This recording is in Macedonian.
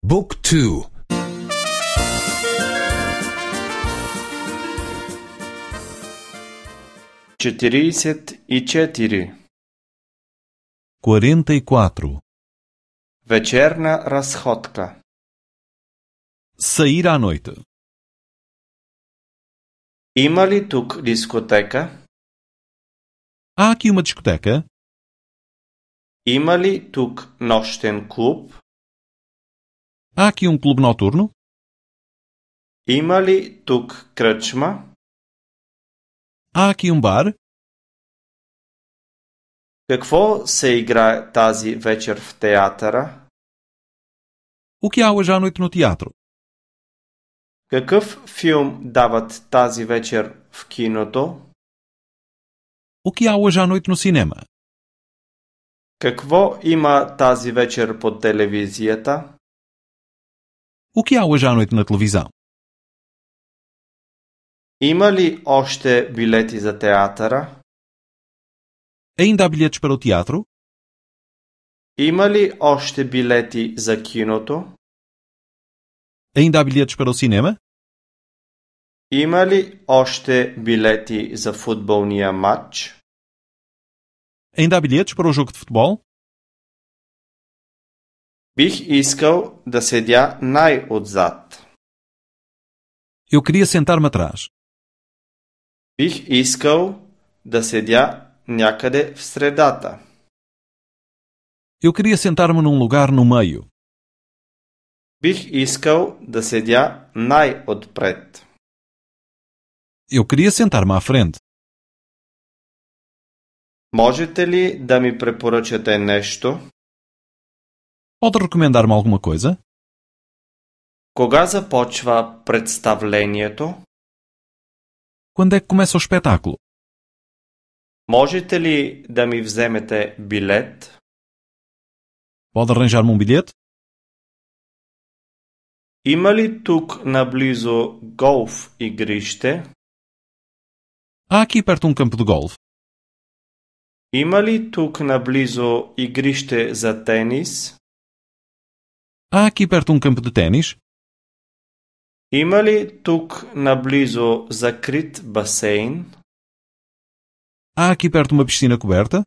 Book 2. 44. 44. Вечерна разходка. Sair à noite. Има ли тук дискотека? Há aqui uma discoteca? Има ли тук нощен клуб? Há aqui um clube noturno? Има ли тук кръчма? Há aqui um bar? Какво се играе тази вечер в театъра? O que há hoje à noite no teatro? Какъв филм дават тази вечер в киното? O que há hoje à noite no cinema? Какво има тази вечер по телевизията? O que há hoje à noite na televisão? Има ли още билети за театъра? Ainda há bilhetes para o teatro? Има ли още билети за киното? Ainda há bilhetes para o cinema? Има ли още билети за футболния матч? Ainda há bilhetes para o jogo de futebol? Бих искал да седя най-отзад. Eu queria sentar-me atrás. Бих искал да седя някъде в средата. Eu queria sentar-me num lugar no meio. Бих искал да седя най-отпред. Eu queria sentar-me à frente. Можете ли да ми препоръчате нещо? Pode recomendar-me alguma coisa? Кога започва представлението? Quando é que começa o espetáculo? Можете ли да ми вземете билет? Pode arranjar-me um bilhete? Има ли тук наблизо голф игрище? Há aqui perto um campo de golfe. Има ли тук наблизо игрище за тенис? Há aqui perto um campo de ténis. Има ли тук наблизо закрит басейн? Há aqui perto uma piscina coberta.